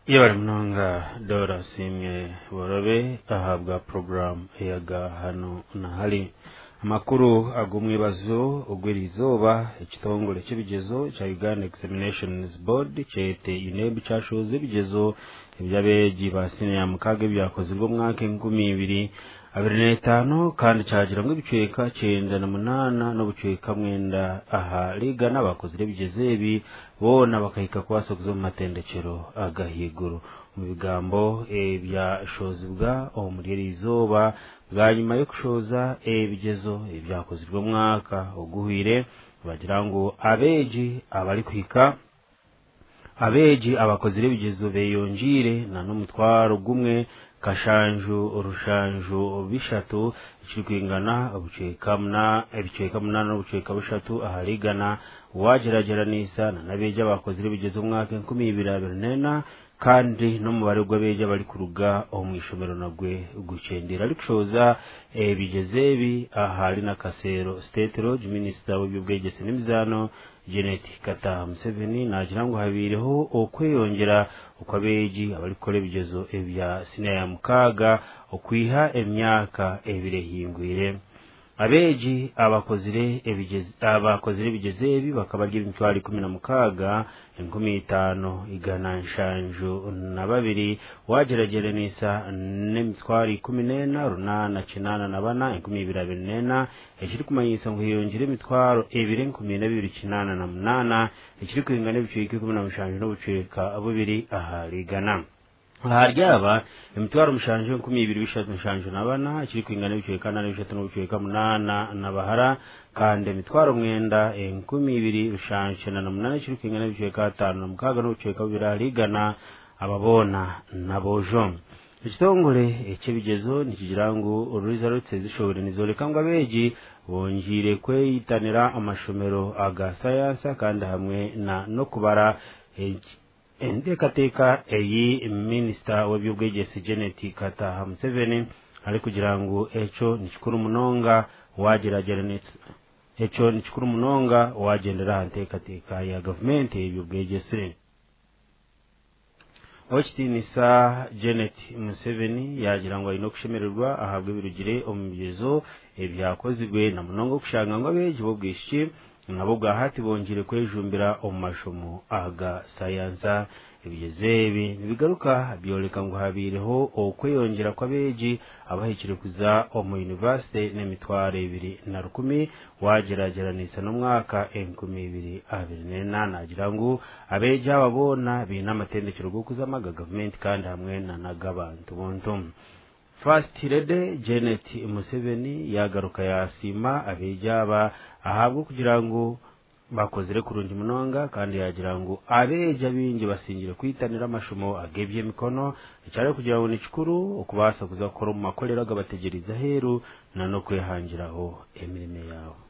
Yebare munonga Dora Asiimwe Borobe ahabwa puroguraamu eyaga hanu na hari. Amakuru ag'omwebazo ogw'erizooba ekitongore ky'ebigyezo kya Uganda Examinations Board kyete UNEB kyashohoza ebigyezo eby'abeegi ba siniya mukaaga ebyakozirwe omwaka 2025 kandi kyagira ngu ebicweka 98 n'obucweka 9 aha rigana abakozire ebigyezo ebi boona bakahika kubaasa kuza omu matendekyero ag'ahaiguru. Omu bigambo ebyashozibwa omuri eri izooba bwanyima y'okushohoza ebigyezo ebyakozirwe omwaka oguhwire nibagira ngu abeegi abarikuhika abeegi abakozire ebigyezo beeyongiire n'omutwaro gumwe kashanju rushanju bishatu ekirikwingana obucweka ebicweka 8 n'obucweka 3 ahari igana waagyeragyeranisa n'abeegi abakozire ebigyezo omwaka 2024 kandi n'omubare gw'abeegi abarikuruga omu ishomero nagwe gukyendeire. Arikushohoza ebigyezo ebi ahari Nakasero State Lodge, minisita w'eby'obwegyese n'emizaano Janet Kataha Museveni naagira ngu habaireho okweyongyera okw'abeegi abarikukora ebigyezo ebya siniya ya mukaaga okwiha emyaka ebiri ehingwire. Abeegi abakozire abakozire ebigyezo ebi bakaba bari 16 5172 waagyeragyeranisa n'emitwaro 14 884 2024 ekirikumanyisa ngu heyongyire emitwaro 2 4288 ekirikwingana ebicweka 17 n'obucweka 2 ahari igana. Ahari aba emitwaro 7 2374 ekirikwingana ebicweka 4 3 n'obucweka 8 n'abahara kandi emitwaro 9 2798 ekirikwingana ebicweka 5 6 n'obucweka 2 ahari igana aba boona n'aboojo. Ekitongore eky'ebigyezo nikigira ngu results ezishohore nizooreka ngu abeegi bongiire kweyitanira amashomero aga sayansa kandi hamwe na n'okubara enteekateeka eyi minisita w'eby'obwegyese Janet Kataha Museveni arikugira ngu ekyo nikikuru munonga waagyeragyeranisa ekyo nikikuru munonga waagyendera aha nteekateeka ya gavumenti ey'eby'obwegyese. Owekitiinisa Janet Museveni yaagira ngu aine okushemererwa ahabw'ebirugire omu bigyezo ebyakozirwe na munonga okushanga ngu abeegi b'obwishiki nabo bwahati bongiire kwejumbira omu mashomo aga sayansa. Ebigyezo ebi nibigaruka byoreka ngu habaireho okweyongyera kw'abeegi abahikire kuza omu yunivasite n'emitwaro 2 na 1,000 waagyeragyeranisa n'omwaka 2024. Naagira ngu abeegi aba boona baine amatendekyero g'okuzamu aga gavumenti kandi hamwe n'ag'abantu buntu. First Lady Janet Museveni yagaruka yasiima abeegi aba ahabw'okugira ngu bakozire kurungi munonga kandi yagira ngu abeegi abaingi basingire kwitanira amashomo ag'eby'emikono ekyari kugira ngu ni kikuru okubaasa kuza kukora omu makorero agabategyereize aheeru n'okwehangiraho emirimo yaabo.